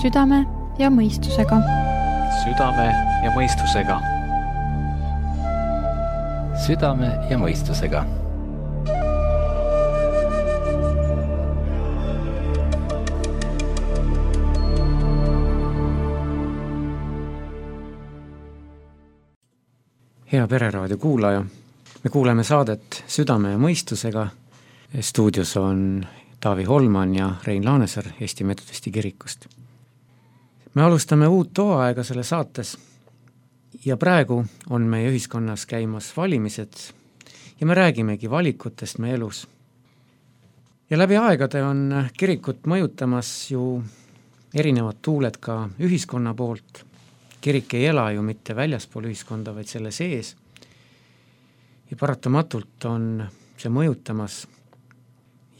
Südame ja mõistusega. Südame ja mõistusega. Südame ja mõistusega. Hea Pereraadio kuulaja, me kuuleme saadet Südame ja mõistusega. Stuudios on Taavi Holman ja Rein Laanesaar Eesti Metodisti kirikust. Me alustame uut hooaega selle saates ja praegu on meie ühiskonnas käimas valimised ja me räägimegi valikutest meie elus. Ja läbi aegade on kirikut mõjutamas ju erinevad tuuled ka ühiskonna poolt. Kirik ei ela ju mitte väljaspool ühiskonda, vaid selle sees. Ja paratamatult on see mõjutamas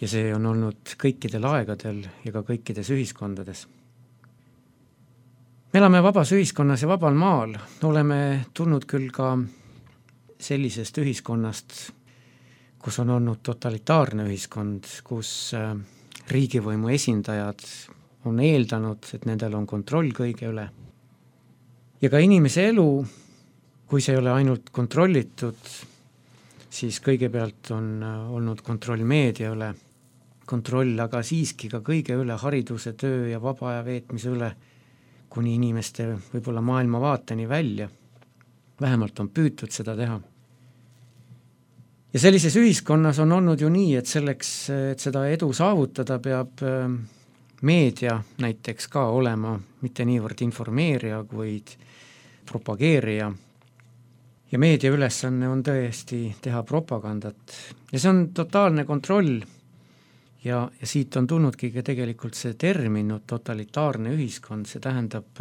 ja see on olnud kõikidel aegadel ja ka kõikides ühiskondades. Me elame vabas ühiskonnas ja vabal maal. Oleme tulnud küll ka sellisest ühiskonnast, kus on olnud totalitaarne ühiskond, kus riigivõimu esindajad on eeldanud, et nendel on kontroll kõige üle. Ja ka inimese elu, kui see ei ole ainult kontrollitud, siis kõigepealt on olnud kontroll meedia üle, kontroll aga siiski ka kõige üle hariduse, töö ja vaba aja veetmise üle, kuni inimeste võib-olla maailmavaateni välja. Vähemalt on püütud seda teha. Ja sellises ühiskonnas on olnud ju nii, et selleks, et seda edu saavutada, peab meedia näiteks ka olema mitte niivõrd informeerija, kuid propageerija. Ja meedia ülesanne on tõesti teha propagandat. Ja see on totaalne kontroll. Ja siit on tulnudki tegelikult see termin totalitaarne ühiskond. See tähendab,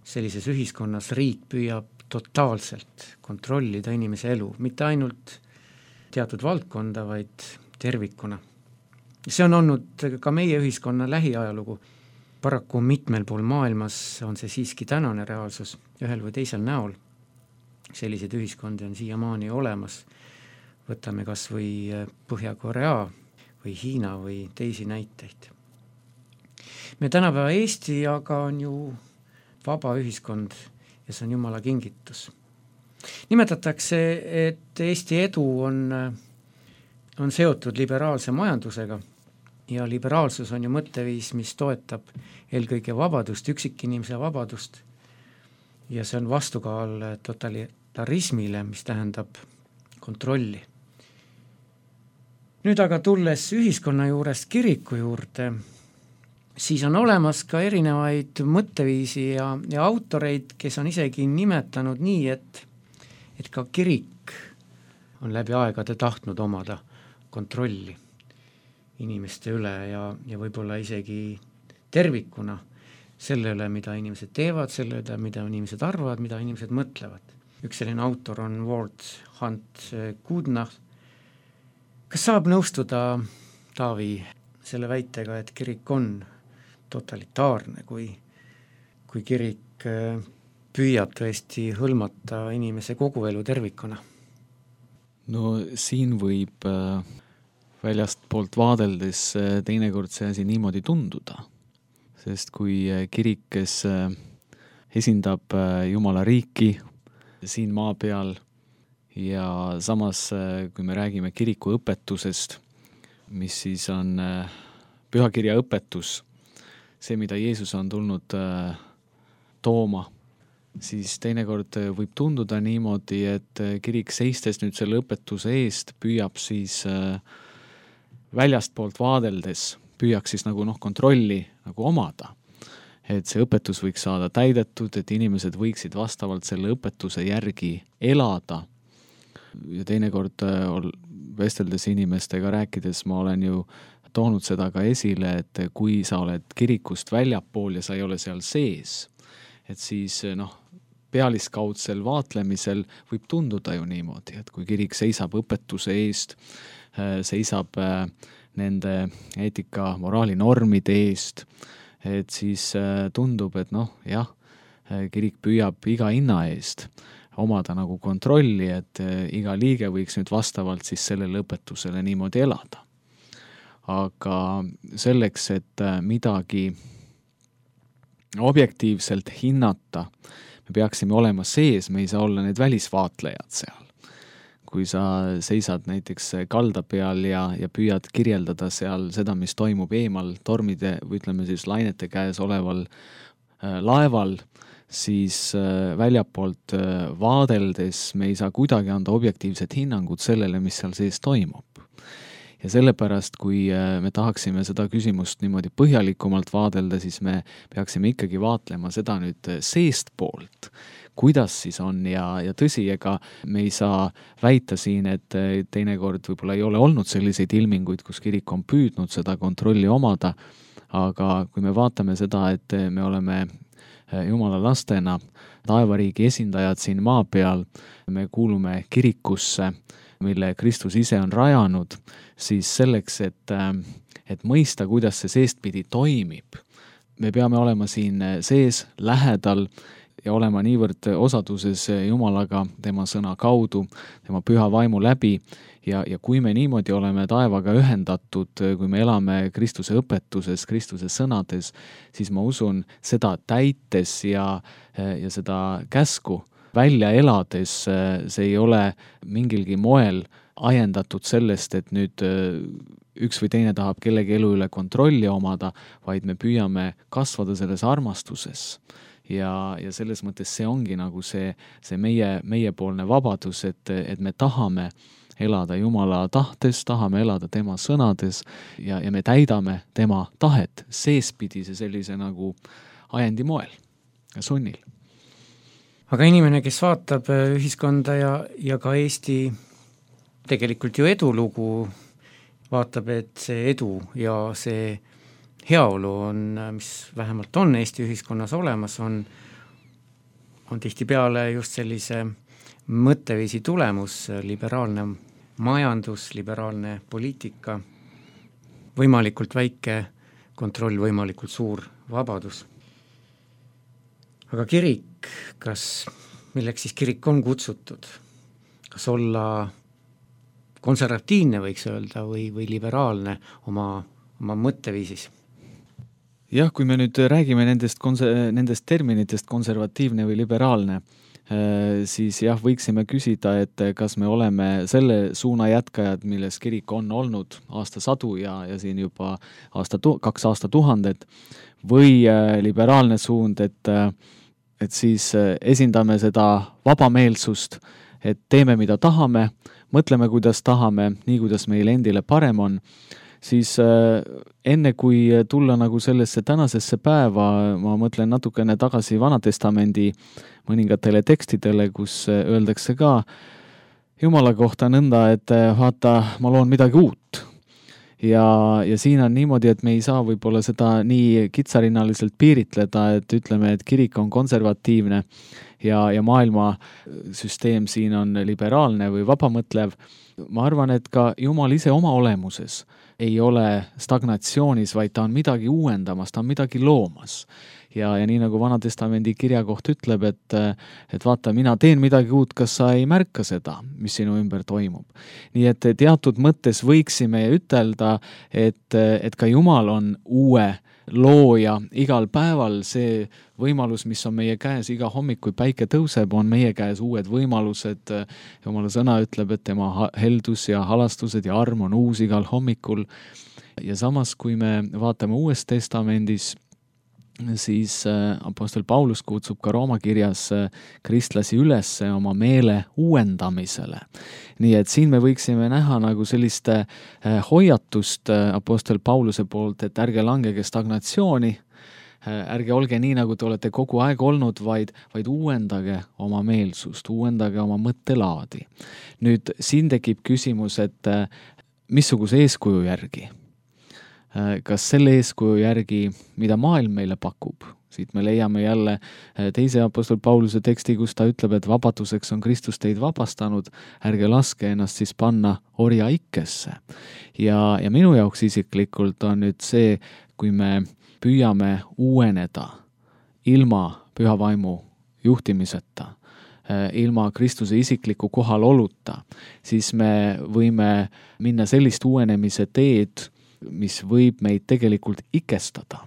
sellises ühiskonnas riik püüab totaalselt kontrollida inimese elu. Mitte ainult teatud valdkonda, vaid tervikuna. See on olnud ka meie ühiskonna lähiajalugu. Paraku mitmel pool maailmas on see siiski tänane reaalsus ühel või teisel näol. Sellised ühiskondi on siiamaani olemas. Võtame kas või Põhja-Korea või Hiina või teisi näiteid. Me tänapäeva Eesti aga on ju vaba ühiskond ja see on Jumala kingitus. Nimetatakse, et Eesti edu on seotud liberaalse majandusega ja liberaalsus on ju mõtteviis, mis toetab eelkõige vabadust, üksikinimese vabadust ja see on vastukaal totalitarismile, mis tähendab kontrolli. Nüüd aga tulles ühiskonna juurest kiriku juurde, siis on olemas ka erinevaid mõtteviisi ja autoreid, kes on isegi nimetanud nii, et ka kirik on läbi aegade tahtnud omada kontrolli inimeste üle ja võib-olla isegi tervikuna selle üle, mida inimesed teevad, selle üle, mida inimesed arvavad, mida inimesed mõtlevad. Üks selline autor on Ward Hunt Goodnacht. Kas saab nõustuda, Taavi, selle väitega, et kirik on totalitaarne, kui kirik püüab tõesti hõlmata inimese kogu elu tervikuna? No siin võib väljast poolt vaadeldes teinekord see asi niimoodi tunduda, sest kui kirik, kes esindab Jumala riiki siin maa peal ja samas, kui me räägime kiriku õpetusest, mis siis on pühakirja õpetus, see, mida Jeesus on tulnud tooma, siis teinekord võib tunduda niimoodi, et kirik seistes nüüd selle õpetuse eest püüab siis väljast poolt vaadeldes, püüaks siis nagu kontrolli nagu omada. Et see õpetus võiks saada täidetud, et inimesed võiksid vastavalt selle õpetuse järgi elada. Ja teinekord vesteldes inimestega rääkides ma olen ju toonud seda ka esile, et kui sa oled kirikust väljapool ja sa ei ole seal sees, et siis pealiskaudsel vaatlemisel võib tunduda ju niimoodi, et kui kirik seisab õpetuse eest, seisab nende eetika moraalinormide eest, et siis tundub, et kirik püüab iga hinna eest omada nagu kontrolli, et iga liige võiks nüüd vastavalt siis sellele õpetusele niimoodi elada. Aga selleks, et midagi objektiivselt hinnata, me peaksime olema sees, me ei saa olla need välisvaatlejad seal. Kui sa seisad näiteks kalda peal ja püüad kirjeldada seal seda, mis toimub eemal tormide või ütleme siis lainete käes oleval laeval, siis väljapoolt vaadeldes me ei saa kuidagi anda objektiivset hinnangut sellele, mis seal sees toimub. Ja sellepärast, kui me tahaksime seda küsimust niimoodi põhjalikumalt vaadelda, siis me peaksime ikkagi vaatlema seda nüüd seest poolt, kuidas siis on ja tõsi, ega me ei saa väita siin, et teinekord võib-olla ei ole olnud selliseid ilminguid, kus kirik on püüdnud seda kontrolli omada, aga kui me vaatame seda, et me oleme Jumala lastena, taevariigi esindajad siin maa peal, me kuulume kirikusse, mille Kristus ise on rajanud, siis selleks, et mõista, kuidas see seestpidi toimib, me peame olema siin sees, lähedal ja olema niivõrd osaduses Jumalaga tema sõna kaudu, tema püha vaimu läbi ja kui me niimoodi oleme taevaga ühendatud, kui me elame Kristuse õpetuses, Kristuse sõnades, siis ma usun seda täites ja seda käsku välja elades, see ei ole mingilgi moel ajendatud sellest, et nüüd üks või teine tahab kellegi elu üle kontrolli omada, vaid me püüame kasvada selles armastuses. Ja selles mõttes see ongi nagu see meiepoolne vabadus, et me tahame elada Jumala tahtes, tahame elada tema sõnades ja me täidame tema tahet seespidise sellise nagu ajendi moel ja sunnil. Aga inimene, kes vaatab ühiskonda ja ka Eesti tegelikult ju edulugu, vaatab, et see edu ja see heaolu on, mis vähemalt on Eesti ühiskonnas olemas, on tihtipeale just sellise mõtteviisi tulemus, liberaalne majandus, liberaalne poliitika, võimalikult väike kontroll, võimalikult suur vabadus. Aga kirik, milleks siis kirik on kutsutud? Kas olla konservatiivne, võiks öelda, või liberaalne oma mõtteviisis? Jah, kui me nüüd räägime nendest terminitest konservatiivne või liberaalne, siis jah, võiksime küsida, et kas me oleme selle suuna jätkajad, milles kirik on olnud aastasadu ja siin juba 2 aastatuhandet, või liberaalne suund, et siis esindame seda vabameelsust, et teeme, mida tahame, mõtleme, kuidas tahame, nii kuidas meil endile parem on, siis enne kui tulla nagu sellesse tänasesse päeva, ma mõtlen natukene tagasi Vanatestamendi mõningatele tekstidele, kus öeldakse ka Jumala kohta nõnda, et vaata, ma loon midagi uut. Ja siin on niimoodi, et me ei saa võib-olla seda nii kitsarinnaliselt piiritleda, et ütleme, et kirik on konservatiivne ja maailma süsteem siin on liberaalne või vabamõtlev. Ma arvan, et ka Jumal ise oma olemuses ei ole stagnatsioonis, vaid ta on midagi uuendamas, ta on midagi loomas. Ja nii nagu Vanatestamendi kirja koht ütleb, et vaata, mina teen midagi uut, kas sa ei märka seda, mis sinu ümber toimub. Nii et teatud mõttes võiksime ütelda, et ka Jumal on uue looja igal päeval, see võimalus, mis on meie käes iga hommik, kui päike tõuseb, on meie käes uued võimalused. Jumala sõna ütleb, et tema heldus ja halastused ja arm on uus igal hommikul. Ja samas, kui me vaatame Uues Testamendis, siis apostel Paulus kutsub ka Rooma kirjas kristlasi üles oma meele uuendamisele. Nii et siin me võiksime näha nagu sellist hoiatust apostel Pauluse poolt, et ärge langege stagnatsiooni, ärge olge nii, nagu te olete kogu aeg olnud, vaid uuendage oma meelsust, uuendage oma mõttelaadi. Nüüd siin tekib küsimus, et missuguse eeskuju järgi? Kas selle eeskuju järgi, mida maailm meile pakub? Siit me leiame jälle teise apostol Pauluse teksti, kus ta ütleb, et vabaduseks on Kristus teid vabastanud, ärge laske ennast siis panna orja ikkesse. Ja minu jaoks isiklikult on nüüd see, kui me püüame uueneda ilma püha vaimu juhtimiseta, ilma Kristuse isikliku kohaloluta, siis me võime minna sellist uuenemise teed, mis võib meid tegelikult ikestada.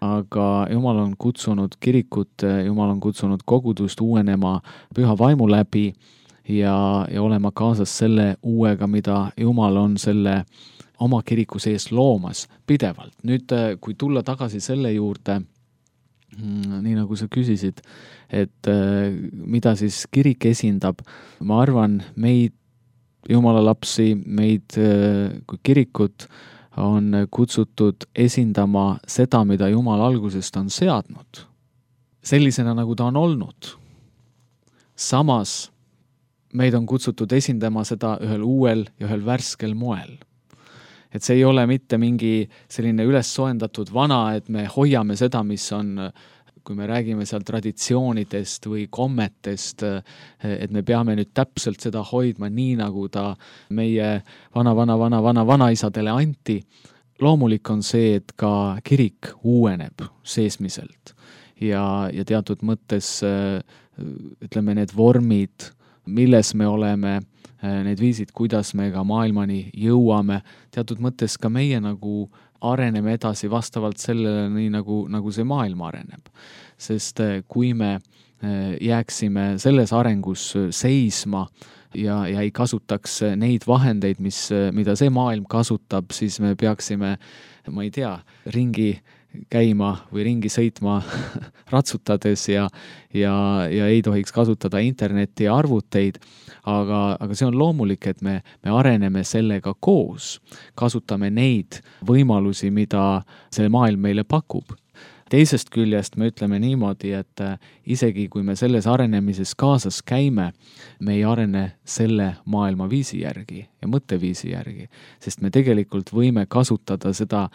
aga Jumal on kutsunud kirikut, Jumal on kutsunud kogudust uuenema püha vaimu läbi ja olema kaasas selle uuega, mida Jumal on selle oma kiriku sees loomas pidevalt. Nüüd, kui tulla tagasi selle juurde, nii nagu sa küsisid, et mida siis kirik esindab, ma arvan, meid, Jumala lapsi, meid kui kirikut on kutsutud esindama seda, mida Jumal algusest on seadnud, sellisena, nagu ta on olnud. Samas meid on kutsutud esindama seda ühel uuel ja ühel värskel moel. Et see ei ole mitte mingi selline üles soendatud vana, et me hoiame seda, mis on, kui me räägime seal traditsioonidest või kommetest, et me peame nüüd täpselt seda hoidma nii, nagu ta meie vanaisadele anti. Loomulik on see, et ka kirik uueneb seesmiselt ja teatud mõttes, ütleme, need vormid, milles me oleme, need viisid, kuidas me ka maailmani jõuame, teatud mõttes ka meie nagu areneme edasi vastavalt sellele, nii nagu see maailm areneb. Sest kui me jääksime selles arengus seisma ja ei kasutaks neid vahendeid, mida see maailm kasutab, siis me peaksime, ma ei tea, ringi käima või ringi sõitma ratsutades ja ei tohiks kasutada internetti ja arvuteid, aga see on loomulik, et me areneme sellega koos, kasutame neid võimalusi, mida see maailm meile pakub. Teisest küljest me ütleme niimoodi, et isegi kui me selles arenemises kaasas käime, me ei arene selle maailma viisi järgi ja mõtteviisi järgi, sest me tegelikult võime kasutada seda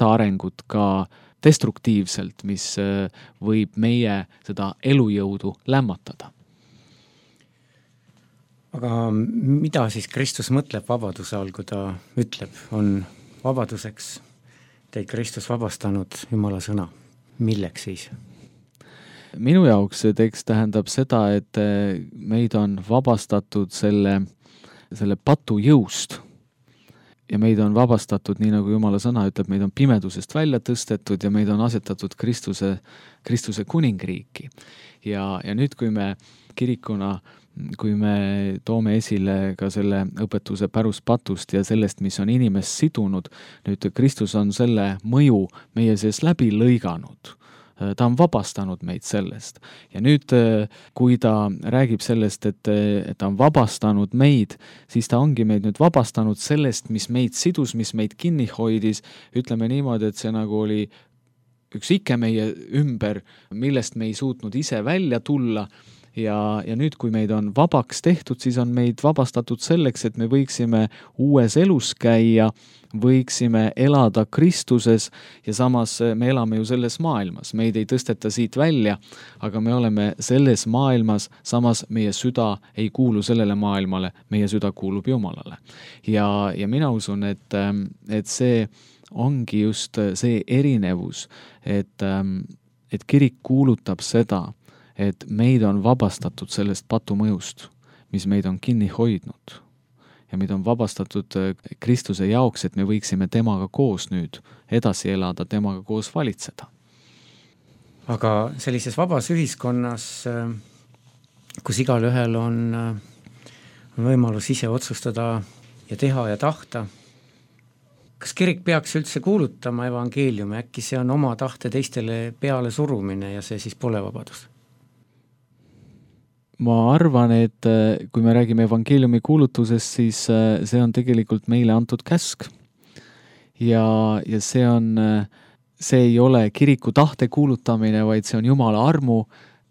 arengut ka destruktiivselt, mis võib meie seda elujõudu lämmatada. Aga mida siis Kristus mõtleb vabaduse all, kui ta ütleb, on vabaduseks teid Kristus vabastanud Jumala sõna? Milleks siis? Minu jaoks see tekst tähendab seda, et meid on vabastatud selle patu jõust ja meid on vabastatud, nii nagu Jumala sõna ütleb, meid on pimedusest välja tõstetud ja meid on asetatud Kristuse kuningriiki. Ja nüüd, kui me kirikuna, kui me toome esile ka selle õpetuse päruspatust ja sellest, mis on inimest sidunud, nüüd Kristus on selle mõju meie sees läbi lõiganud. Ta on vabastanud meid sellest. Ja nüüd, kui ta räägib sellest, et ta on vabastanud meid, siis ta ongi meid nüüd vabastanud sellest, mis meid sidus, mis meid kinni hoidis. Ütleme niimoodi, et see nagu oli üks ike meie ümber, millest me ei suutnud ise välja tulla. Ja nüüd, kui meid on vabaks tehtud, siis on meid vabastatud selleks, et me võiksime uues elus käia, võiksime elada Kristuses ja samas me elame ju selles maailmas. Meid ei tõsteta siit välja, aga me oleme selles maailmas, samas meie süda ei kuulu sellele maailmale, meie süda kuulub Jumalale. Ja mina usun, et see ongi just see erinevus, et kirik kuulutab seda, et meid on vabastatud sellest patumõjust, mis meid on kinni hoidnud ja meid on vabastatud Kristuse jaoks, et me võiksime temaga koos nüüd edasi elada, temaga koos valitseda. Aga sellises vabas ühiskonnas, kus igal ühel on võimalus ise otsustada ja teha ja tahta, kas kirik peaks üldse kuulutama evangeeliumi, äkki see on oma tahte teistele peale surumine ja see siis pole vabadus? Ma arvan, et kui me räägime evangeeliumi kuulutusest, siis see on tegelikult meile antud käsk. Ja see ei ole kiriku tahte kuulutamine, vaid see on Jumala armu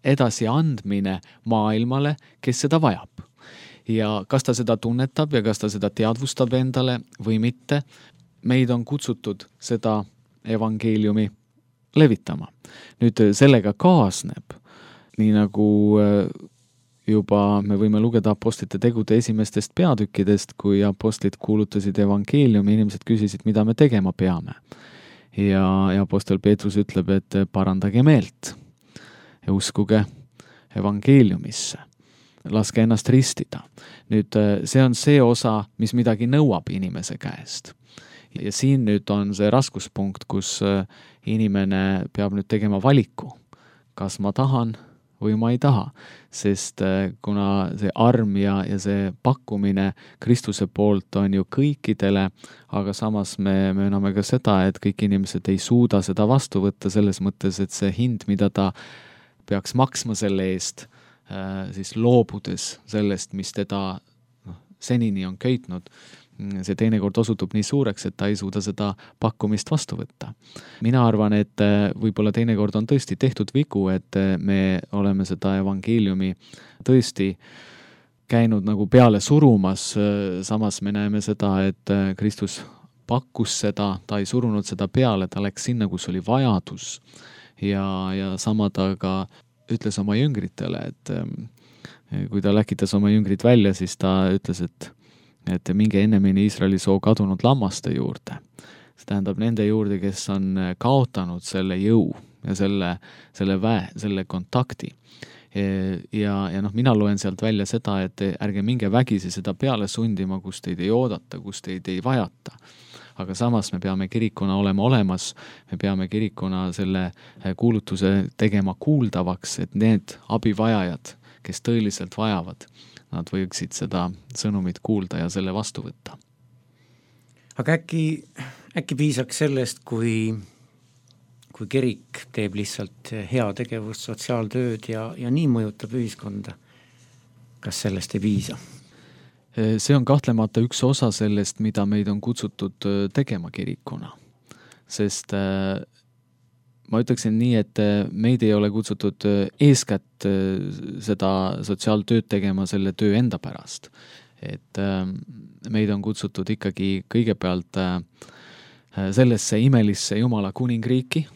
edasi andmine maailmale, kes seda vajab. Ja kas ta seda tunnetab ja kas ta seda teadvustab endale või mitte, meid on kutsutud seda evangeeliumi levitama. Nüüd sellega kaasneb, nii nagu juba me võime lugeda apostlite tegude esimestest peatükkidest, kui apostlid kuulutasid evangeeliumi, inimesed küsisid, mida me tegema peame. Ja apostel Peetrus ütleb, et parandage meelt ja uskuge evangeeliumisse. Laske ennast ristida. Nüüd see on see osa, mis midagi nõuab inimese käest. Ja siin nüüd on see raskuspunkt, kus inimene peab nüüd tegema valiku, kas ma tahan või ma ei taha, sest kuna see arm ja see pakkumine Kristuse poolt on ju kõikidele, aga samas me mööname ka seda, et kõik inimesed ei suuda seda vastu võtta selles mõttes, et see hind, mida ta peaks maksma selle eest, siis loobudes sellest, mis teda senini on köitnud, see teinekord osutub nii suureks, et ta ei suuda seda pakkumist vastu võtta. Mina arvan, et võib-olla teinekord on tõesti tehtud vigu, et me oleme seda evangeeliumi tõesti käinud nagu peale surumas, samas me näeme seda, et Kristus pakkus seda, ta ei surunud seda peale, ta läks sinna, kus oli vajadus ja sama ta ka ütles oma jüngritele, et kui ta läkitas oma jüngrid välja, siis ta ütles, et minge ennemini Iisraeli soo kadunud lammaste juurde. See tähendab nende juurde, kes on kaotanud selle jõu ja selle kontakti. Ja mina loen sealt välja seda, et ärge minge vägisi seda peale sundima, kus teid ei oodata, kus teid ei vajata. Aga samas me peame kirikuna olema olemas, me peame kirikuna selle kuulutuse tegema kuuldavaks, et need abivajajad, kes tõeliselt vajavad, nad võiksid seda sõnumit kuulda ja selle vastu võtta. Aga äkki piisaks sellest, kui kirik teeb lihtsalt heategevust, sotsiaaltööd ja nii mõjutab ühiskonda. Kas sellest ei piisa? See on kahtlemata üks osa sellest, mida meid on kutsutud tegema kirikuna. Sest ma ütleksin nii, et meid ei ole kutsutud eeskätt seda sotsiaaltööd tegema selle töö enda pärast. Et meid on kutsutud ikkagi kõigepealt sellesse imelisse Jumala kuningriiki.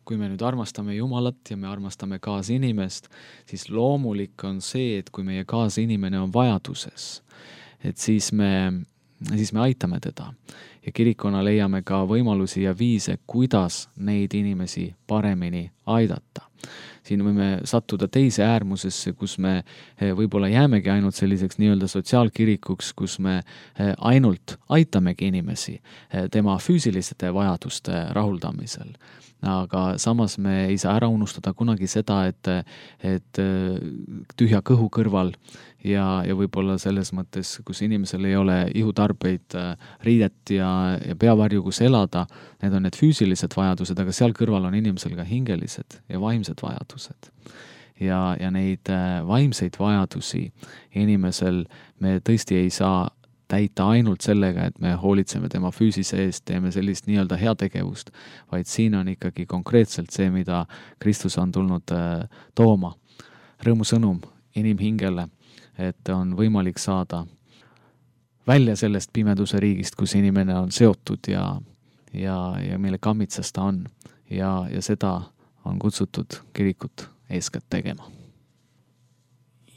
Kui me nüüd armastame Jumalat ja me armastame kaasinimest, siis loomulik on see, et kui meie kaasinimene on vajaduses, et siis me aitame teda. Ja kirikuna leiame ka võimalusi ja viise, kuidas neid inimesi paremini aidata. Siin võime sattuda teise äärmusesse, kus me võib-olla jäämegi ainult selliseks nii-öelda sotsiaalkirikuks, kus me ainult aitamegi inimesi tema füüsiliste vajaduste rahuldamisel. Aga samas me ei saa ära unustada kunagi seda, et tühja kõhu kõrval ja võib-olla selles mõttes, kus inimesel ei ole ihutarbeid, riidet ja peavarju, kus elada, need on need füüsilised vajadused, aga seal kõrval on inimesel ka hingelised ja vaimsed vajadused. Ja neid vaimseid vajadusi inimesel me tõesti ei saa täita ainult sellega, et me hoolitseme tema füüsise eest, teeme sellist nii-öelda heategevust, vaid siin on ikkagi konkreetselt see, mida Kristus on tulnud tooma. Rõõmusõnum inimhingele, et on võimalik saada välja sellest pimeduse riigist, kus inimene on seotud ja mille kammitsas ta on. Ja seda on kutsutud kirikut eeskätt tegema.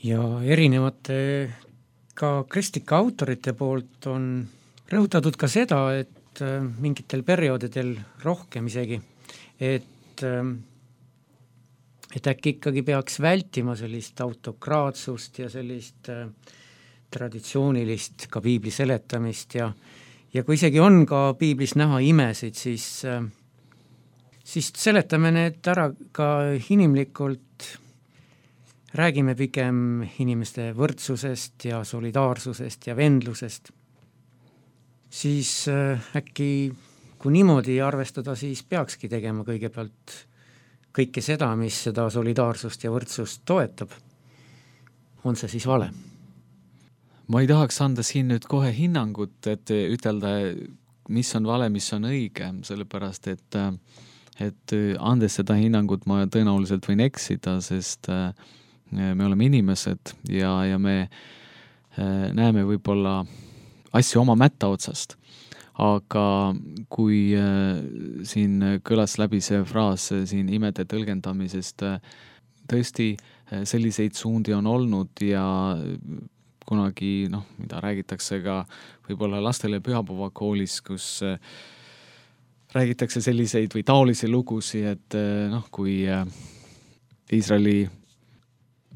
Ja erinevate ka kristlike autorite poolt on rõhutatud ka seda, et mingitel perioodidel rohkem isegi, et äkki ikkagi peaks vältima sellist autokraatsust ja sellist traditsioonilist ka piibli seletamist ja kui isegi on ka piiblis näha imesid, siis seletame need ära ka inimlikult, räägime pigem inimeste võrdsusest ja solidaarsusest ja vendlusest, siis äkki kui niimoodi arvestada, siis peakski tegema kõigepealt kõike seda, mis seda solidaarsust ja võrdsust toetab. On see siis vale? Ma ei tahaks anda siin nüüd kohe hinnangut, et ütelda, mis on vale, mis on õige, sellepärast, et andes seda hinnangut ma tõenäoliselt võin eksida, sest me oleme inimesed ja me näeme võib-olla asju oma mätta otsast. Aga kui siin kõlas läbi see fraas siin imede tõlgendamisest, tõesti selliseid suundi on olnud ja kunagi, mida räägitakse ka võib-olla lastele pühapäevakoolis, kus räägitakse selliseid või taolisi lugusi, et kui Iisraeli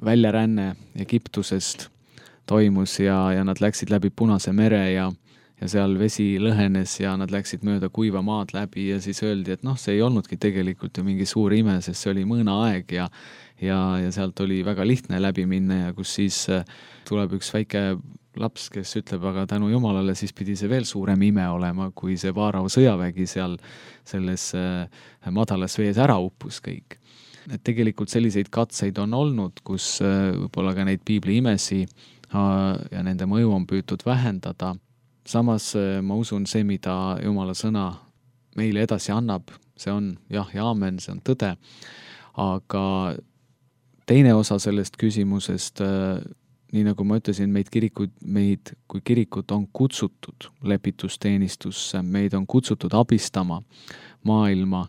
väljaränne Egiptusest toimus ja nad läksid läbi Punase mere ja ja seal vesi lõhenes ja nad läksid mööda kuiva maad läbi ja siis öeldi, et see ei olnudki tegelikult ju mingi suur ime, sest see oli mõõnaaeg ja sealt oli väga lihtne läbi minna ja kus siis tuleb üks väike laps, kes ütleb, aga tänu Jumalale siis pidi see veel suurem ime olema, kui see Vaarao sõjavägi seal selles madalas vees ära uppus kõik. Et tegelikult selliseid katseid on olnud, kus võib-olla ka neid piibli imesi ja nende mõju on püütud vähendada. Samas ma usun see, mida Jumala sõna meile edasi annab, see on jah ja aamen, see on tõde, aga teine osa sellest küsimusest, nii nagu ma ütlesin, meid kui kirikut on kutsutud lepitusteenistusse, meid on kutsutud abistama maailma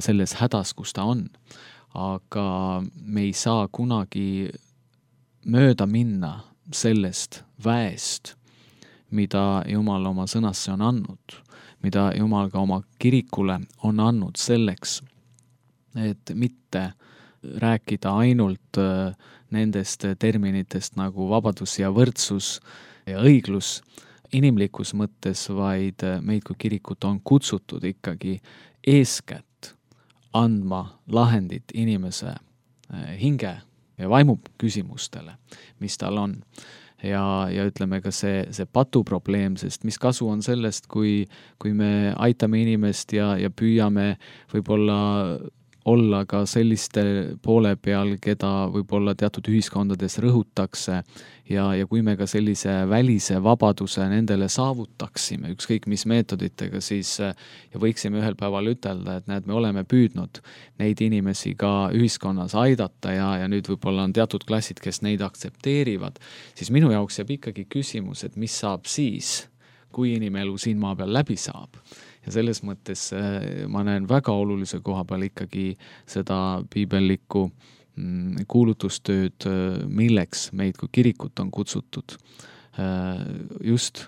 selles hädas, kus ta on. Aga me ei saa kunagi mööda minna sellest väest, mida Jumal oma sõnasse on andnud, mida Jumal ka oma kirikule on andnud selleks, et mitte rääkida ainult nendest terminitest nagu vabadus ja võrdsus ja õiglus inimlikus mõttes, vaid meid kui kirikut on kutsutud ikkagi eeskätt andma lahendit inimese hinge ja vaimu küsimustele, mis tal on. Ja ütleme ka see patuprobleem, sest mis kasu on sellest, kui me aitame inimest ja püüame võib-olla olla ka selliste poole peal, keda võib-olla teatud ühiskondades rõhutakse ja kui me ka sellise välise vabaduse nendele saavutaksime, ükskõik mis meetoditega, siis ja võiksime ühel päeval ütelda, et näed, me oleme püüdnud neid inimesi ka ühiskonnas aidata ja nüüd võib-olla on teatud klassid, kes neid aktsepteerivad, siis minu jaoks jääb ikkagi küsimus, et mis saab siis, kui inimelu siin maa peal läbi saab. Ja selles mõttes ma näen väga olulise koha peal ikkagi seda piibellikku kuulutustööd, milleks meid kui kirikut on kutsutud just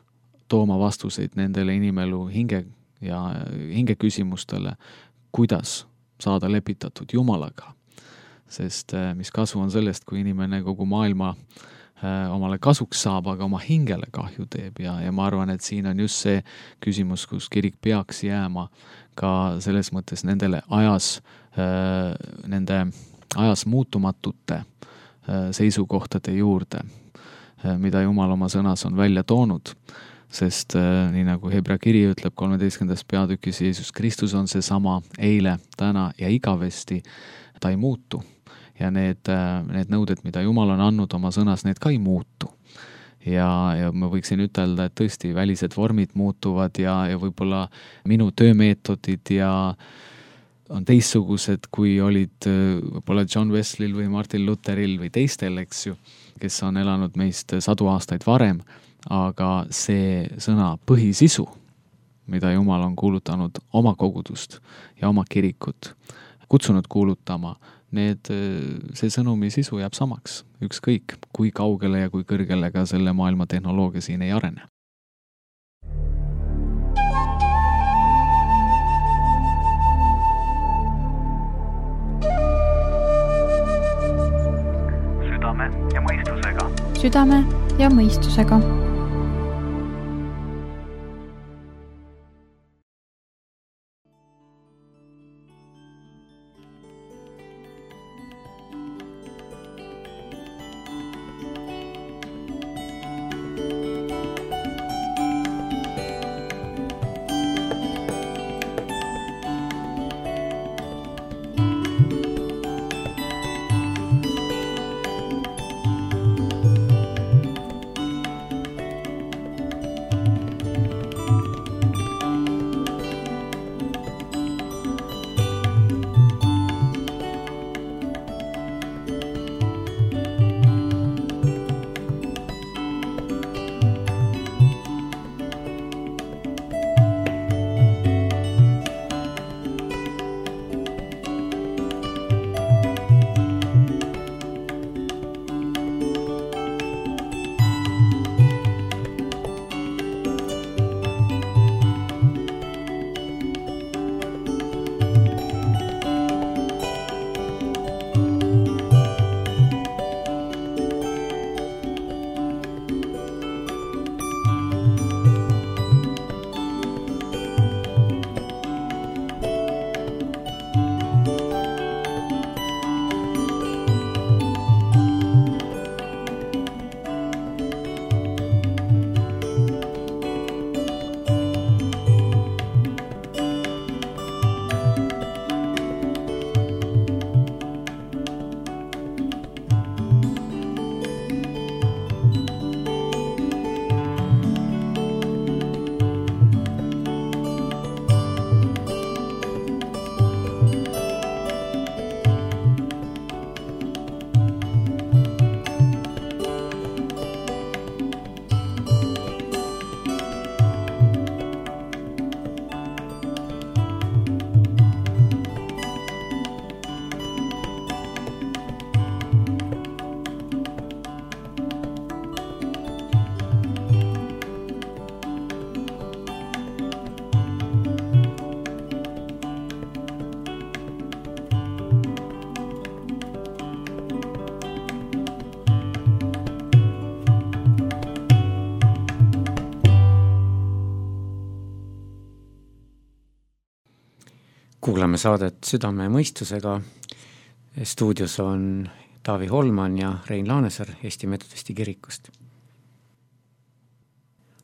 tooma vastuseid nendele inimelu hinge küsimustele, kuidas saada lepitatud Jumalaga. Sest mis kasu on sellest, kui inimene kogu maailma omale kasuks saab, aga oma hingele kahju teeb ja ma arvan, et siin on just see küsimus, kus kirik peaks jääma ka selles mõttes nende ajas muutumatute seisukohtade juurde, mida Jumal oma sõnas on välja toonud, sest nii nagu Hebra kiri ütleb 13. peatükis, Jeesus Kristus on see sama eile, täna ja igavesti, ta ei muutu. Ja need nõuded, mida Jumal on andnud oma sõnas, need ka ei muutu. Ja ma võiksin ütelda, et tõesti välised vormid muutuvad ja võib-olla minu töömeetodid on teistsugused, kui olid võib-olla John Wesleyl või Martin Lutheril või teistel, eks ju, kes on elanud meist 100 aastaid varem, aga see sõna põhisisu, mida Jumal on kuulutanud oma kogudust ja oma kirikut, kutsunud kuulutama, see sõnumi sisu jääb samaks, ükskõik kui kaugele ja kui kõrgele ka selle maailma tehnoloogia siin ei arene. Südame ja mõistusega. Südame ja mõistusega. Kuulame saadet Südame ja mõistusega. Stuudios on Taavi Holman ja Rein Laanesaar Eesti Metodisti kirikust.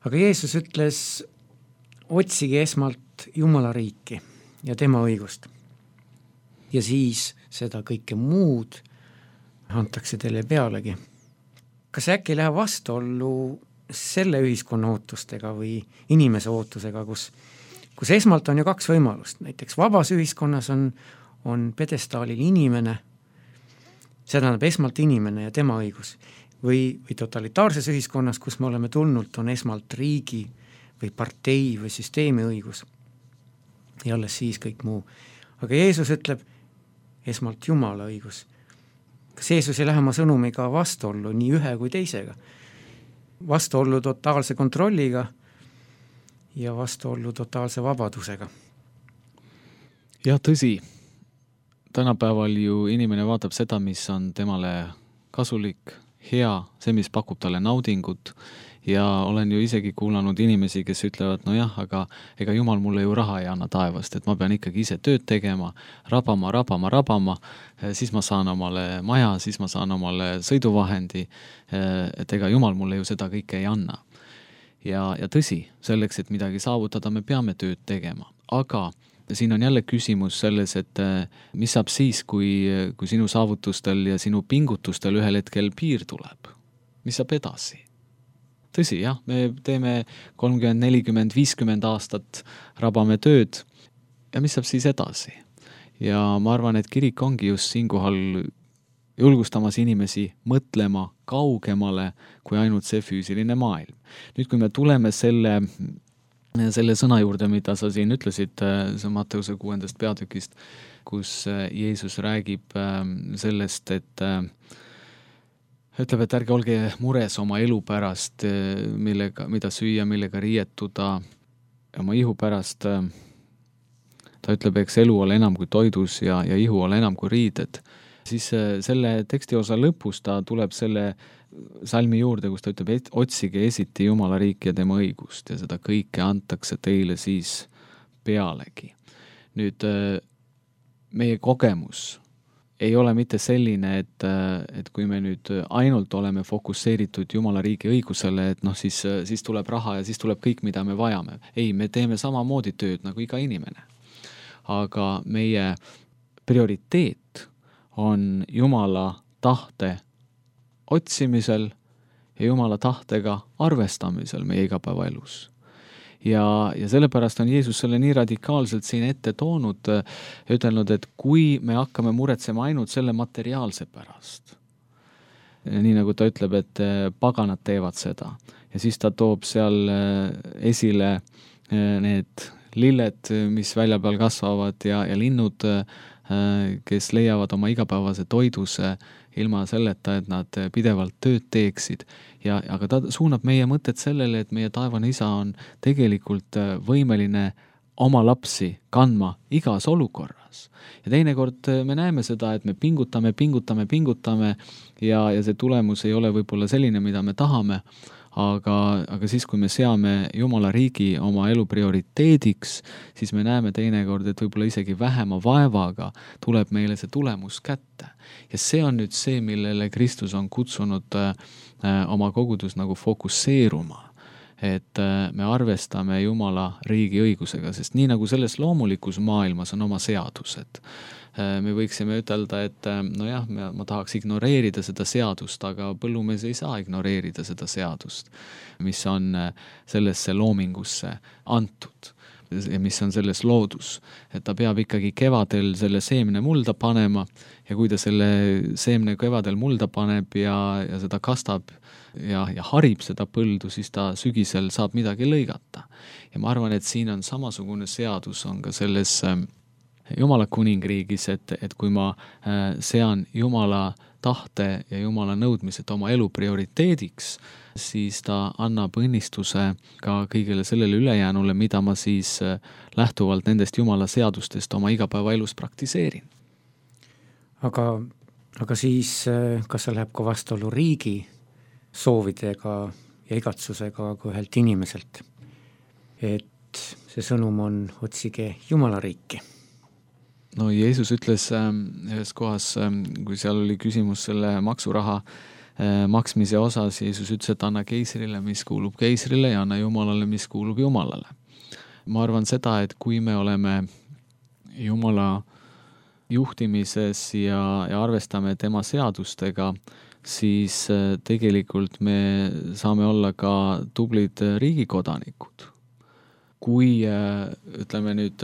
Aga Jeesus ütles, otsige esmalt Jumala riiki ja tema õigust. Ja siis seda kõike muud antakse teile pealegi. Kas äkki läheb vastuollu selle ühiskonna ootustega või inimese ootusega, kus esmalt on ju kaks võimalust. Näiteks vabas ühiskonnas on pedestaalil inimene, see tähendab esmalt inimene ja tema õigus. Või totalitaarses ühiskonnas, kus me oleme tulnud, on esmalt riigi või partei või süsteemi õigus. Ja alles siis kõik muu. Aga Jeesus ütleb esmalt Jumala õigus. Kas Jeesus ei lähe oma sõnumiga vastuollu nii ühe kui teisega? Vastuollu totaalse kontrolliga ja vastuollu totaalse vabadusega. Jah, tõsi. Tänapäeval ju inimene vaatab seda, mis on temale kasulik, hea, see, mis pakub talle naudingut. Ja olen ju isegi kuulanud inimesi, kes ütlevad, no jah, aga ega Jumal mulle ju raha ei anna taevast, et ma pean ikkagi ise tööd tegema, rabama, siis ma saan omale maja, siis ma saan omale sõiduvahendi, et ega Jumal mulle ju seda kõike ei anna. Ja tõsi, selleks, et midagi saavutada, me peame tööd tegema. Aga siin on jälle küsimus selles, et mis saab siis, kui sinu saavutustel ja sinu pingutustel ühel hetkel piir tuleb? Mis saab edasi? Tõsi, jah, me teeme 30, 40, 50 aastat, rabame tööd ja mis saab siis edasi? Ja ma arvan, et kirik ongi just siinkohal julgustamas inimesi mõtlema kaugemale kui ainult see füüsiline maailm. Nüüd, kui me tuleme selle sõna juurde, mida sa siin ütlesid, see Matteuse 6. peatükist, kus Jeesus räägib sellest, et ütleb, et ärge olge mures oma elu pärast, mida süüa, millega riietuda, oma ihu pärast. Ta ütleb, eks elu ole enam kui toidus ja ihu ole enam kui riided. Siis selle tekstiosa lõpus ta tuleb selle salmi juurde, kus ta ütleb, et otsige esiti Jumala riiki ja tema õigust ja seda kõike antakse teile siis pealegi. Nüüd meie kogemus ei ole mitte selline, et kui me nüüd ainult oleme fokusseeritud Jumala riigi õigusele, et siis tuleb raha ja siis tuleb kõik, mida me vajame. Ei, me teeme samamoodi tööd nagu iga inimene. Aga meie prioriteet on Jumala tahte otsimisel ja Jumala tahtega arvestamisel meie igapäevaelus. Ja sellepärast on Jeesus selle nii radikaalselt siin ette toonud ja ütelnud, et kui me hakkame muretsema ainult selle materiaalse pärast, nii nagu ta ütleb, et paganad teevad seda ja siis ta toob seal esile need lilled, mis välja peal kasvavad ja linnud, kes leiavad oma igapäevase toiduse ilma selleta, et nad pidevalt tööd teeksid. Aga ta suunab meie mõtted sellele, et meie taevane isa on tegelikult võimeline oma lapsi kandma igas olukorras. Ja teinekord me näeme seda, et me pingutame ja see tulemus ei ole võib-olla selline, mida me tahame, aga siis, kui me seame Jumala riigi oma elu prioriteediks, siis me näeme teinekord, et võib-olla isegi vähema vaevaga tuleb meile see tulemus kätte. Ja see on nüüd see, millele Kristus on kutsunud oma kogudus nagu fokusseeruma, et me arvestame Jumala riigi õigusega, sest nii nagu selles loomulikus maailmas on oma seadused. Me võiksime ütelda, et nojah, ma tahaks ignoreerida seda seadust, aga põllumees ei saa ignoreerida seda seadust, mis on sellesse loomingusse antud ja mis on selles loodus. Et ta peab ikkagi kevadel selle seemne mulda panema ja kui ta selle seemne kevadel mulda paneb ja seda kastab ja harib seda põldu, siis ta sügisel saab midagi lõigata. Ja ma arvan, et siin on samasugune seadus on ka selles Jumala kuningriigis, et kui ma sean Jumala tahte ja Jumala nõudmised oma elu prioriteediks, siis ta annab õnnistuse ka kõigele sellele ülejäänule, mida ma siis lähtuvalt nendest Jumala seadustest oma igapäevaelus praktiseerin. Aga siis, kas see läheb ka vastuollu riigi soovidega ja igatsusega kui ühelt inimeselt, et see sõnum on otsige Jumala riiki no Jeesus ütles ühes kohas, kui seal oli küsimus selle maksuraha maksmise osas, Jeesus ütles, et anna keisrile, mis kuulub keisrile ja anna Jumalale, mis kuulub Jumalale. Ma arvan seda, et kui me oleme Jumala juhtimises ja arvestame tema seadustega, siis tegelikult me saame olla ka tublid riigikodanikud. Kui ütleme nüüd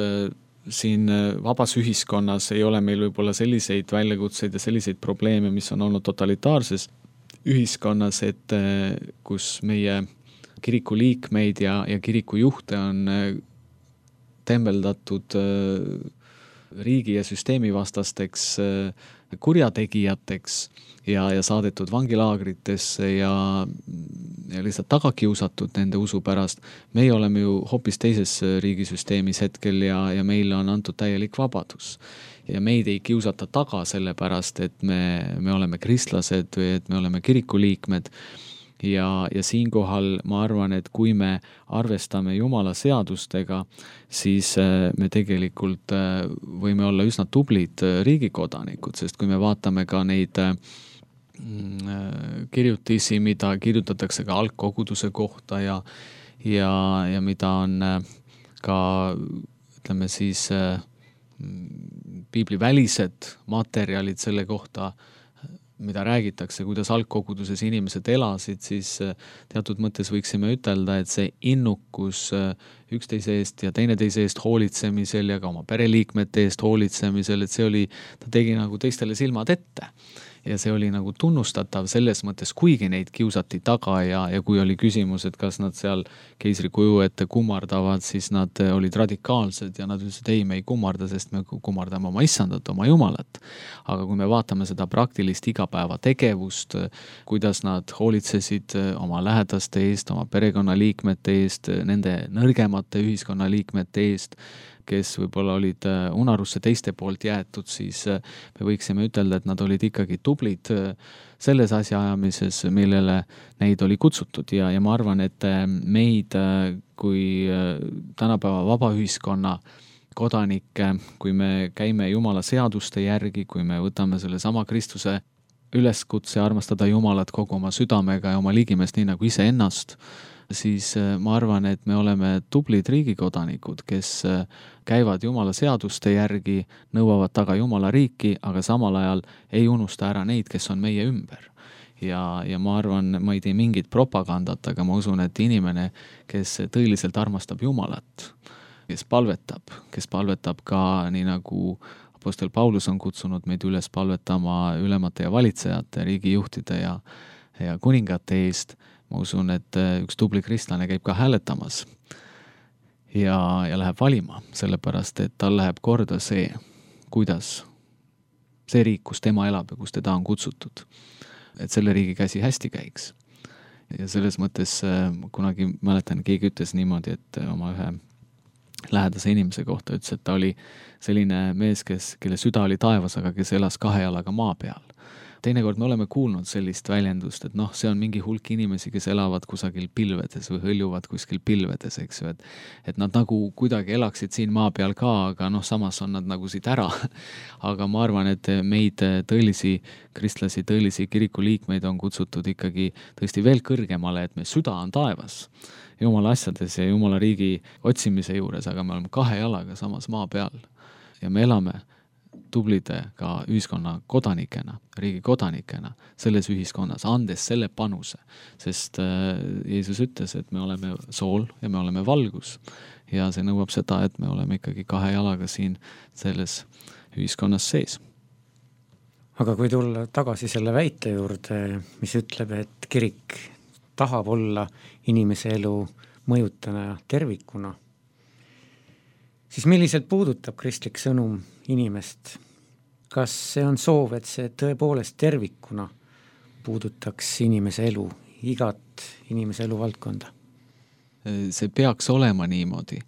siin vabas ühiskonnas ei ole meil võib-olla selliseid väljakutseid ja selliseid probleeme, mis on olnud totalitaarses ühiskonnas, et kus meie kiriku liikmeid ja kiriku juhte on tembeldatud riigi ja süsteemi vastasteks kurjategijateks ja saadetud vangilaagritesse ja lihtsalt taga kiusatud nende usu pärast. Meie oleme ju hoopis teises riigisüsteemis hetkel ja meile on antud täielik vabadus. Ja meid ei kiusata taga selle pärast, et me oleme kristlased või et me oleme kiriku liikmed. Ja siinkohal ma arvan, et kui me arvestame Jumala seadustega, siis me tegelikult võime olla üsna tublid riigikodanikud, sest kui me vaatame ka neid kirjutisi, mida kirjutatakse ka algkoguduse kohta ja mida on ka, ütleme siis, piiblivälised materjalid selle kohta, mida räägitakse, kuidas algkoguduses inimesed elasid, siis teatud mõttes võiksime ütelda, et see innukus üksteise eest ja teineteise eest hoolitsemisel ja ka oma pereliikmete eest hoolitsemisel, et see oli, ta tegi nagu teistele silmad ette. Ja see oli nagu tunnustatav selles mõttes, kuigi neid kiusati taga ja kui oli küsimus, et kas nad seal keisri kuju ette kummardavad, siis nad olid radikaalsed ja nad ütlesid, ei, me ei kummarda, sest me kummardame oma issandat, oma Jumalat. Aga kui me vaatame seda praktilist igapäeva tegevust, kuidas nad hoolitsesid oma lähedaste eest, oma perekonnaliikmete eest, nende nõrgemate ühiskonnaliikmete eest, kes võib-olla olid unarusse teiste poolt jäetud, siis me võiksime ütelda, et nad olid ikkagi tublid selles asjaajamises, millele neid oli kutsutud ja ma arvan, et meid kui tänapäeva vaba ühiskonna kodanikke, kui me käime Jumala seaduste järgi, kui me võtame selle sama Kristuse üleskutse armastada Jumalat kogu oma südamega ja oma ligimeest nii nagu iseennast, siis ma arvan, et me oleme tublid riigikodanikud, kes käivad Jumala seaduste järgi, nõuavad taga Jumala riiki, aga samal ajal ei unusta ära neid, kes on meie ümber. Ja ma arvan, ma ei tee mingit propagandat, aga ma usun, et inimene, kes tõeliselt armastab Jumalat, kes palvetab ka nii nagu apostel Paulus on kutsunud meid üles palvetama ülemate ja valitsejate, riigijuhtide ja kuningate eest, ma usun, et üks tubli kristlane käib ka hääletamas ja läheb valima, sellepärast, et tal läheb korda see, kuidas see riik, kus tema elab ja kus teda on kutsutud, et selle riigi käsi hästi käiks. Ja selles mõttes kunagi mäletan, keegi ütles niimoodi, et oma ühe lähedase inimese kohta ütles, et ta oli selline mees, kelle süda oli taevas, aga kes elas 2 jalaga maa peal. Teinekord me oleme kuulnud sellist väljendust, et see on mingi hulk inimesi, kes elavad kusagil pilvedes või hõljuvad kuskil pilvedes, eks ju, et nad nagu kuidagi elaksid siin maa peal ka, aga samas on nad nagu siit ära. Aga ma arvan, et meid tõelisi kristlasi, tõelisi kiriku liikmeid on kutsutud ikkagi tõesti veel kõrgemale, et me süda on taevas Jumala asjades ja Jumala riigi otsimise juures, aga me oleme 2 jalaga samas maa peal ja me elame tublide ka ühiskonna kodanikena, riigi kodanikena selles ühiskonnas, andes selle panuse, sest Jeesus ütles, et me oleme sool ja me oleme valgus ja see nõuab seda, et me oleme ikkagi 2 jalaga siin selles ühiskonnas sees. Aga kui tulla tagasi selle väite juurde, mis ütleb, et kirik tahab olla inimese elu mõjutana tervikuna, siis milliselt puudutab kristlik sõnum inimest? Kas see on soov, et see tõepoolest tervikuna puudutaks inimese elu, igat inimese elu valdkonda? See peaks olema niimoodi,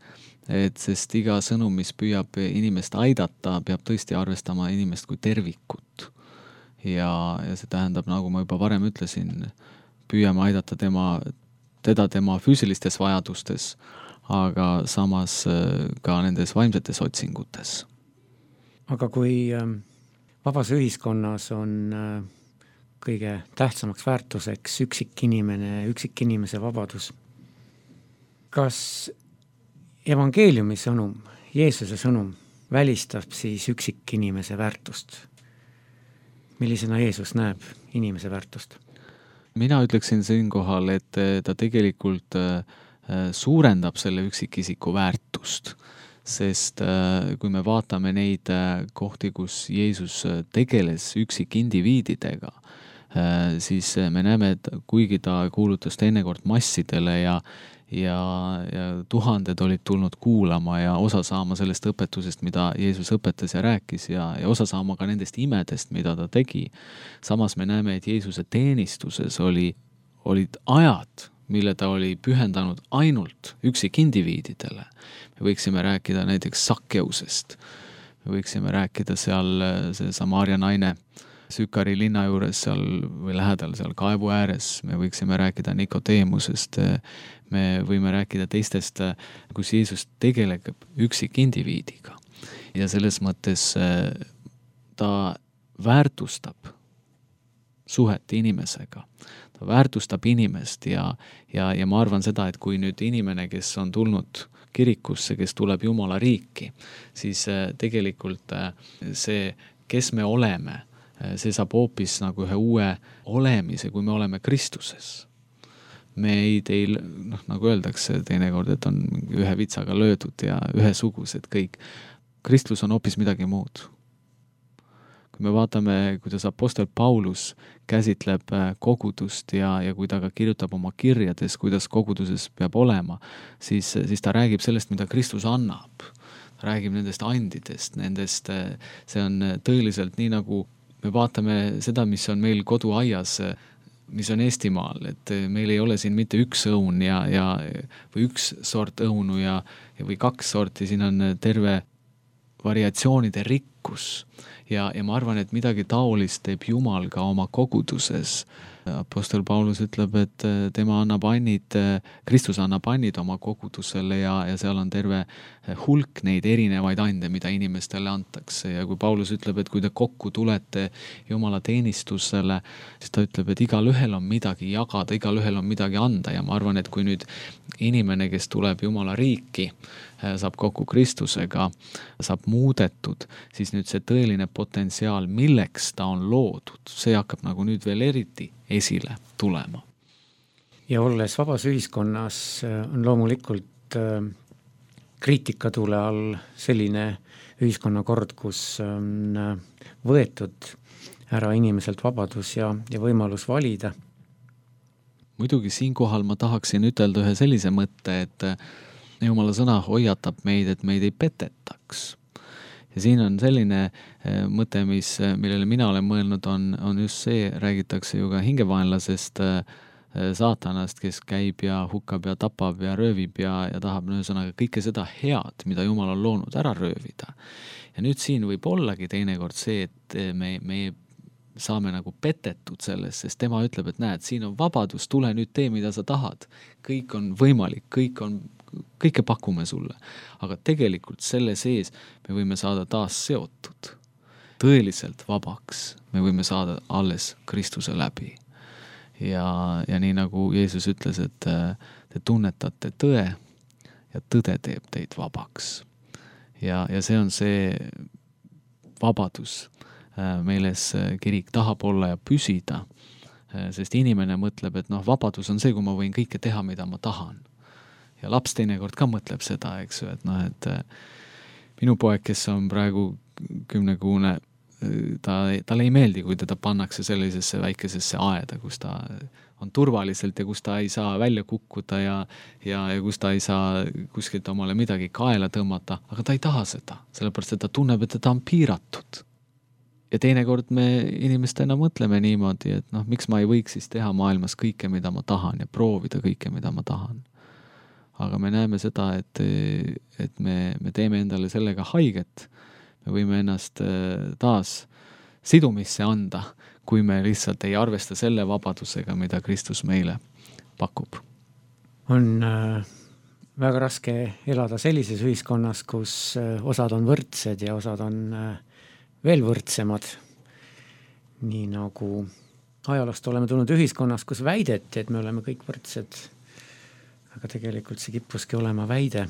sest iga sõnum, mis püüab inimest aidata, peab tõesti arvestama inimest kui tervikut. Ja see tähendab, nagu ma juba varem ütlesin, püüame aidata teda tema füüsilistes vajadustes, aga samas ka nendes vaimsetes otsingutes. aga kui vabas ühiskonnas on kõige tähtsamaks väärtuseks üksikinimese vabadus, kas evangeeliumi sõnum, Jeesuse sõnum välistab siis üksikinimese väärtust? Millisena Jeesus näeb inimese väärtust? Mina ütleksin siinkohal, et ta tegelikult suurendab selle üksikisiku väärtust, sest kui me vaatame neid kohti, kus Jeesus tegeles üksikindiviididega, siis me näeme, et kuigi ta kuulutas teinekord massidele ja tuhanded olid tulnud kuulama ja osa saama sellest õpetusest, mida Jeesus õpetas ja rääkis ja osa saama ka nendest imedest, mida ta tegi. Samas me näeme, et Jeesuse teenistuses olid ajad, mille ta oli pühendanud ainult üksikindiviididele. Me võiksime rääkida näiteks Sakkeusest. Me võiksime rääkida seal see Samaaria naine Sükari linna juures seal või lähedal seal kaevu ääres. Me võiksime rääkida Nikodeemusest. Me võime rääkida teistest, kus Jeesus tegeleb üksikindiviidiga. Ja selles mõttes ta väärtustab suhet inimesega. Ta väärtustab inimest ja ma arvan seda, et kui nüüd inimene, kes on tulnud kirikusse, kes tuleb Jumala riiki, siis tegelikult see, kes me oleme, see saab hoopis nagu ühe uue olemise, kui me oleme Kristuses. Meid ei, nagu öeldakse teinekord, et on ühe vitsaga löödud ja ühesugused kõik. Kristus on hoopis midagi muud. Kui me vaatame, kuidas apostel Paulus käsitleb kogudust ja kui ta ka kirjutab oma kirjades, kuidas koguduses peab olema, siis ta räägib sellest, mida Kristus annab. Ta räägib nendest andidest, see on tõeliselt nii, nagu me vaatame seda, mis on meil koduaias, mis on Eestimaal, et meil ei ole siin mitte üks õun või üks sort õunu või kaks sorti, siin on terve variatsioonide rikkus ja ma arvan, et midagi taolist teeb Jumal ka oma koguduses. Apostel Paulus ütleb, et tema annab annid, Kristus annab annid oma kogudusele ja seal on terve hulk neid erinevaid ande, mida inimestele antakse. Ja kui Paulus ütleb, et kui te kokku tulete Jumala teenistusele, siis ta ütleb, et igal ühel on midagi jagada, igal ühel on midagi anda ja ma arvan, et kui nüüd inimene, kes tuleb Jumala riiki, saab kokku Kristusega, saab muudetud, siis nüüd see tõeline potentsiaal, milleks ta on loodud, see hakkab nagu nüüd veel eriti esile tulema. Ja olles vabas ühiskonnas on loomulikult kriitikatule all selline ühiskonnakord, kus on võetud ära inimeselt vabadus ja võimalus valida. Muidugi siinkohal ma tahaksin ütelda ühe sellise mõtte, et Jumala sõna hoiatab meid, et meid ei petetaks. Ja siin on selline mõte, millele mina olen mõelnud, on just see, räägitakse ju ka hingevaenlasest saatanast, kes käib ja hukkab ja tapab ja röövib ja tahab ühesõnaga kõike seda head, mida Jumal on loonud, ära röövida. Ja nüüd siin võib ollagi teinekord see, et me saame nagu petetud sellest, sest tema ütleb, et näed, siin on vabadus, tule nüüd tee, mida sa tahad. Kõik on võimalik, kõike pakume sulle. Aga tegelikult selle sees me võime saada taas seotud. Tõeliselt vabaks me võime saada alles Kristuse läbi. Ja nii nagu Jeesus ütles, et te tunnetate tõe ja tõde teeb teid vabaks. Ja see on see vabadus, milles kirik tahab olla ja püsida, sest inimene mõtleb, et vabadus on see, kui ma võin kõike teha, mida ma tahan. Ja laps teinekord ka mõtleb seda, eks ju, et minu poeg, kes on praegu 10-kuune, talle ei meeldi, kui teda pannakse sellisesse väikesesse aeda, kus ta on turvaliselt ja kus ta ei saa välja kukkuda ja kus ta ei saa kuskilt omale midagi kaela tõmmata, aga ta ei taha seda, sellepärast, et ta tunneb, et ta on piiratud. Ja teinekord me inimestena mõtleme niimoodi, et miks ma ei võiks siis teha maailmas kõike, mida ma tahan ja proovida kõike, mida ma tahan. Aga me näeme seda, et me teeme endale sellega haiget. Me võime ennast taas sidumisse anda, kui me lihtsalt ei arvesta selle vabadusega, mida Kristus meile pakub. On väga raske elada sellises ühiskonnas, kus osad on võrdsed ja osad on veel võrdsemad. Nii nagu ajaloost oleme tulnud ühiskonnas, kus väideti, et me oleme kõik võrdsed, aga tegelikult see kippuski olema väide.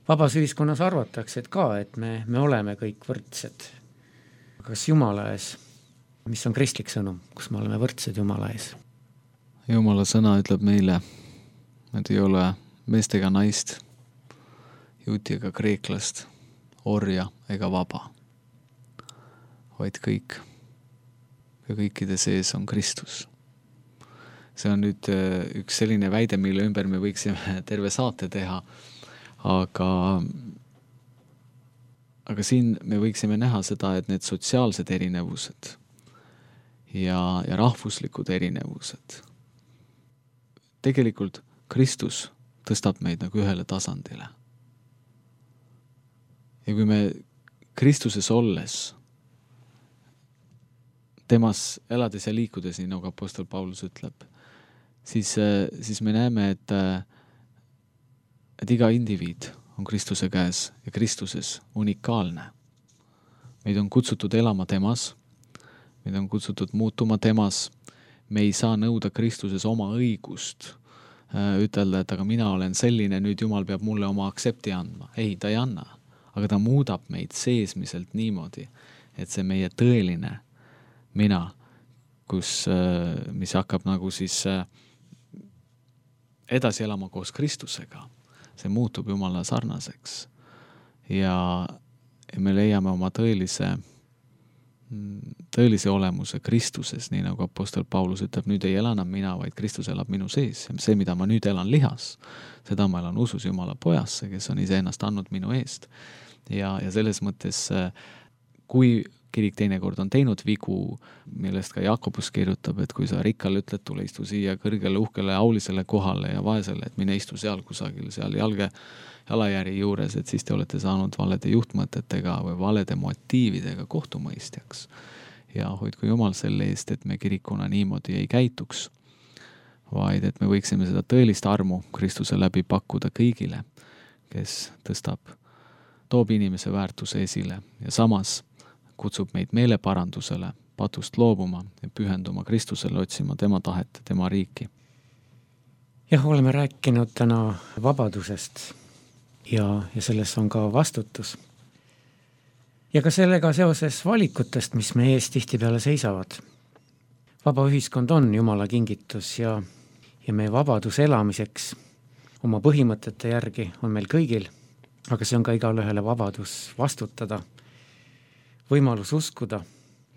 Vabas ühiskonnas arvatakse, et me oleme kõik võrdsed. Kas Jumala ees? Mis on kristlik sõnum, kus me oleme võrdsed Jumala ees? Jumala sõna ütleb meile, et ei ole meest ega naist, juuti ega kreeklast, orja ega vaba, vaid kõik. Ja kõikide sees on Kristus. See on nüüd üks selline väide, mille ümber me võiksime terve saate teha, aga siin me võiksime näha seda, et need sotsiaalsed erinevused ja rahvuslikud erinevused, tegelikult Kristus tõstab meid nagu ühele tasandile. Ja kui me Kristuses olles, temas elades ja liikudes, nii nagu apostel Paulus ütleb, siis me näeme, et iga indiviid on Kristuse käes ja Kristuses unikaalne. Meid on kutsutud elama temas, meid on kutsutud muutuma temas, me ei saa nõuda Kristuses oma õigust, ütelda, et aga mina olen selline, nüüd Jumal peab mulle oma aksepti andma. Ei, ta ei anna, aga ta muudab meid seesmiselt niimoodi, et see meie tõeline mina, mis hakkab nagu siis edasi elama koos Kristusega, see muutub Jumala sarnaseks ja me leiame oma tõelise olemuse Kristuses, nii nagu apostel Paulus ütleb, nüüd ei ela enam mina, vaid Kristus elab minu sees. Ja see, mida ma nüüd elan lihas, seda ma elan usus Jumala pojasse, kes on iseennast andnud minu eest. Ja selles mõttes, kui kirik teinekord on teinud vigu, millest ka Jakobus kirjutab, et kui sa rikkale ütled, tule istu siia kõrgele, uhkele, aulisele kohale ja vaesele, et mine istu seal kusagil, seal jalajäri juures, et siis te olete saanud valede juhtmõtetega või valede motiividega kohtumõistjaks. Ja hoidku Jumal selle eest, et me kirikuna niimoodi ei käituks, vaid et me võiksime seda tõelist armu Kristuse läbi pakkuda kõigile, kes toob inimese väärtuse esile ja samas kutsub meid meeleparandusele, patust loobuma ja pühenduma Kristusele, otsima tema tahet, tema riiki. Jah, oleme rääkinud täna vabadusest ja selles on ka vastutus. Ja ka sellega seoses valikutest, mis meie ees tihtipeale seisavad. Vaba ühiskond on Jumala kingitus ja meie vabadus elamiseks oma põhimõtete järgi on meil kõigil, aga see on ka igale ühele vabadus vastutada, võimalus uskuda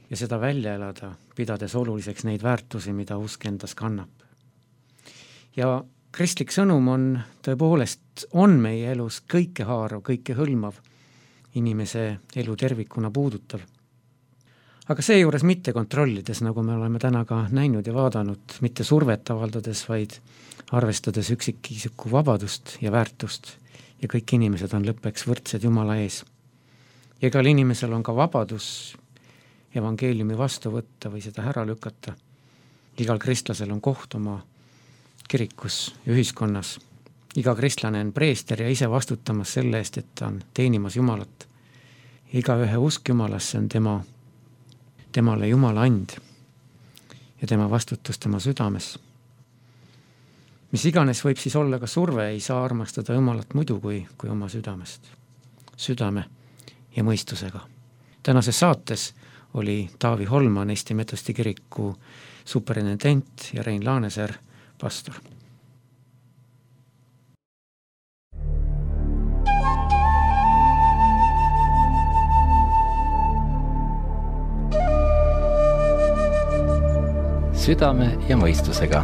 ja seda välja elada, pidades oluliseks neid väärtusi, mida usk endas kannab. Ja kristlik sõnum on meie elus kõikehaarav, kõikehõlmav, inimese elu tervikuna puudutav. Aga seejuures mitte kontrollides, nagu me oleme täna ka näinud ja vaadanud, mitte survet avaldades, vaid arvestades üksikisiku vabadust ja väärtust ja kõik inimesed on lõppeks võrdsed Jumala ees. Ja igal inimesel on ka vabadus evangeeliumi vastu võtta või seda ära lükata. Igal kristlasel on koht oma kirikus ja ühiskonnas. Iga kristlane on preester ja ise vastutamas selle eest, et ta on teenimas Jumalat. Igaühe usk Jumalasse on temale Jumala and ja tema vastutus tema südames. Mis iganes võib siis olla ka surve, ei saa armastada Jumalat muidu kui oma südamest. Südame ja mõistusega. Tänases saates oli Taavi Holman, Eesti Metodisti kiriku superintendent ja Rein Laaneser, pastor. Südame ja mõistusega.